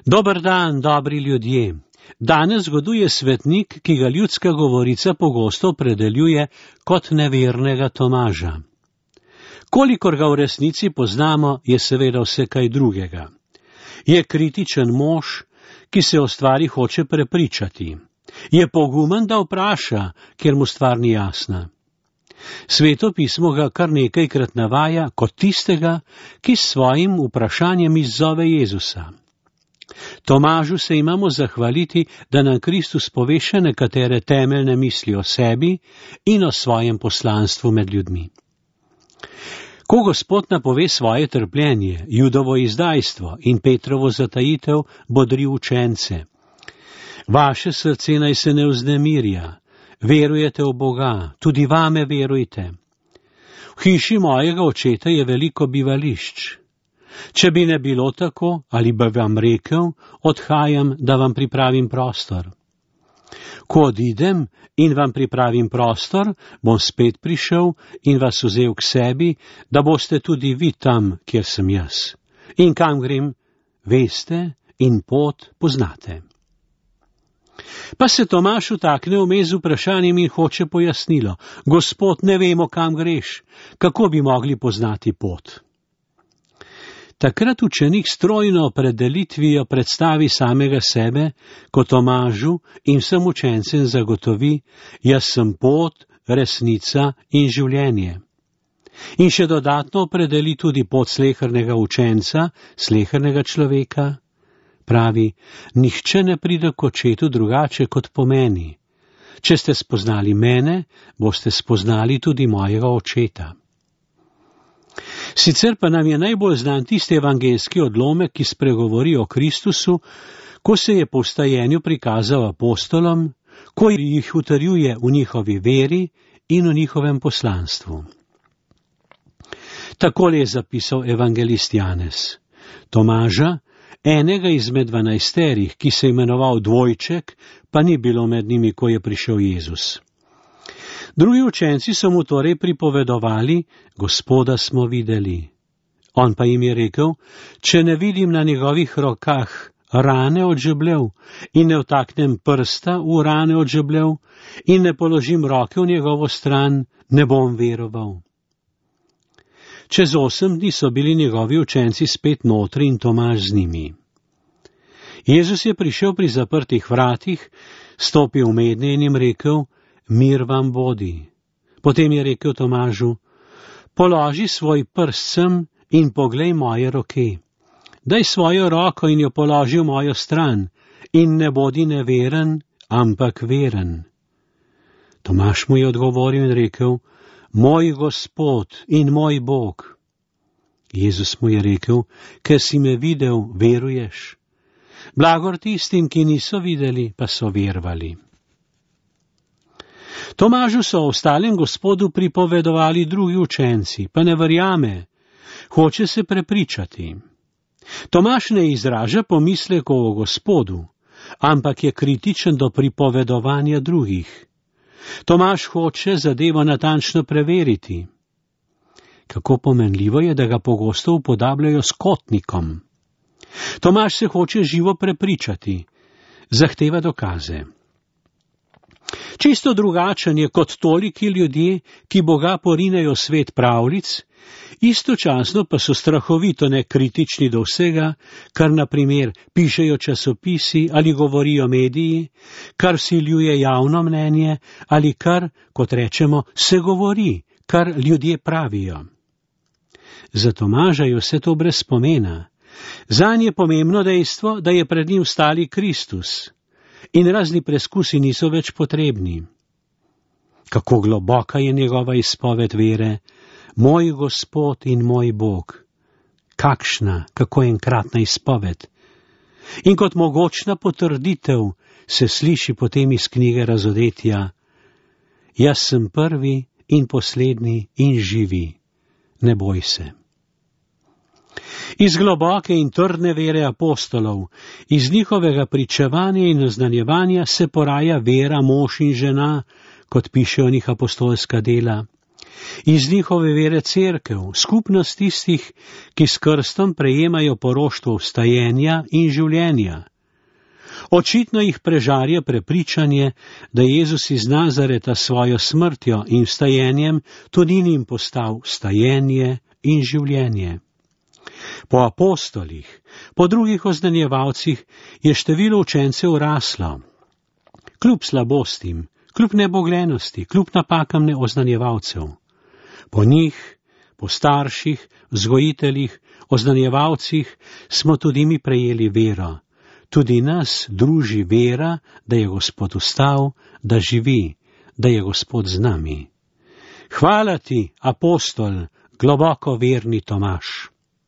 Dober dan, dobri ljudje. Danes zgoduje svetnik, ki ga ljudska govorica pogosto opredeljuje kot nevernega Tomaža. Kolikor ga v resnici poznamo, je seveda vse kaj drugega. Je kritičen mož, ki se o stvari hoče prepričati. Je pogumen, da vpraša, ker mu stvar ni jasna. Sveto pismo ga kar nekajkrat navaja kot tistega, ki s svojim vprašanjem izzove Jezusa. Tomažu se imamo zahvaliti, da nam Kristus pove še nekatere temeljne misli o sebi in o svojem poslanstvu med ljudmi. Ko Gospod napove svoje trpljenje, Judovo izdajstvo in Petrovo zatajitev, bodri učence. Vaše srce naj se ne vznemirja, verujete v Boga, tudi vame verujte. V hiši mojega očeta je veliko bivališč. Če bi ne bilo tako, ali bi vam rekel, odhajam, da vam pripravim prostor. Ko odidem in vam pripravim prostor, bom spet prišel in vas vzel k sebi, da boste tudi vi tam, kjer sem jaz. In kam grem, veste in pot poznate. Pa se Tomaž vtakne vmes z vprašanjem in hoče pojasnilo. Gospod, ne vemo, kam greš, kako bi mogli poznati pot? Takrat učenik strojno opredelitvijo predstavi samega sebe, ko Tomažu in vsem učencem zagotovi, jaz sem pot, resnica in življenje. In še dodatno opredeli tudi pot slehernega učenca, slehernega človeka. Pravi, nihče ne pride k očetu drugače kot po meni. Če ste spoznali mene, boste spoznali tudi mojega očeta. Sicer pa nam je najbolj znan tisti evangeljski odlomek, ki spregovori o Kristusu, ko se je po vstajenju prikazal apostolom, ko jih utrjuje v njihovi veri in v njihovem poslanstvu. Takole je zapisal evangelist Janez. Tomaža, enega izmed 12, ki se je imenoval Dvojček, pa ni bilo med njimi, ko je prišel Jezus. Drugi učenci so mu torej pripovedovali, Gospoda smo videli. On pa jim je rekel, če ne vidim na njegovih rokah rane od žebljev in ne vtaknem prsta v rane od žebljev in ne položim roke v njegovo stran, ne bom veroval. Čez 8 dni so bili njegovi učenci spet notri in Tomaž z njimi. Jezus je prišel pri zaprtih vratih, stopil mednje in jim rekel, mir vam bodi. Potem je rekel Tomažu, položi svoj prst sem in poglej moje roke. Daj svojo roko in jo položi v mojo stran in ne bodi neveren, ampak veren. Tomaž mu je odgovoril in rekel, moj Gospod in moj Bog. Jezus mu je rekel, ker si me videl, veruješ. Blagor tistim, ki niso videli, pa so verovali. Tomažu so ostalem Gospodu pripovedovali drugi učenci, pa ne verjame, hoče se prepričati. Tomaž ne izraža pomislekov o Gospodu, ampak je kritičen do pripovedovanja drugih. Tomaž hoče zadevo natančno preveriti. Kako pomenljivo je, da ga pogosto upodabljajo s kotnikom. Tomaž se hoče živo prepričati, zahteva dokaze. Čisto drugačen je kot toliki ljudje, ki Boga porinejo svet pravljic, istočasno pa so strahovito nekritični do vsega, kar na primer pišejo časopisi ali govorijo mediji, kar vsiljuje javno mnenje ali kar, kot rečemo, se govori, kar ljudje pravijo. Za Tomaža je vse to brez pomena. Zanj je pomembno dejstvo, da je pred njim stali Kristus. In razni preskusi niso več potrebni. Kako globoka je njegova izpoved vere, moj Gospod in moj Bog. Kakšna, kako enkratna izpoved. In kot mogočna potrditev se sliši potem iz knjige Razodetja, jaz sem prvi in poslednji in živi, ne boj se. Iz globoke in trdne vere apostolov, iz njihovega pričevanja in oznanjevanja se poraja vera mož in žena, kot pišejo njih apostolska dela. Iz njihove vere cerkev, skupnost tistih, ki s krstom prejemajo poroštvo vstajenja in življenja. Očitno jih prežarja prepričanje, da Jezus iz Nazareta svojo smrtjo in vstajenjem tudi njim postal vstajenje in življenje. Po apostolih, po drugih oznanjevalcih je število učencev raslo. Kljub slabostim, kljub neboglenosti, kljub napakam neoznanjevalcev. Po njih, po starših, vzgojiteljih, oznanjevalcih smo tudi mi prejeli vero. Tudi nas druži vera, da je Gospod vstal, da živi, da je Gospod z nami. Hvala ti, apostol, globoko verni Tomaž.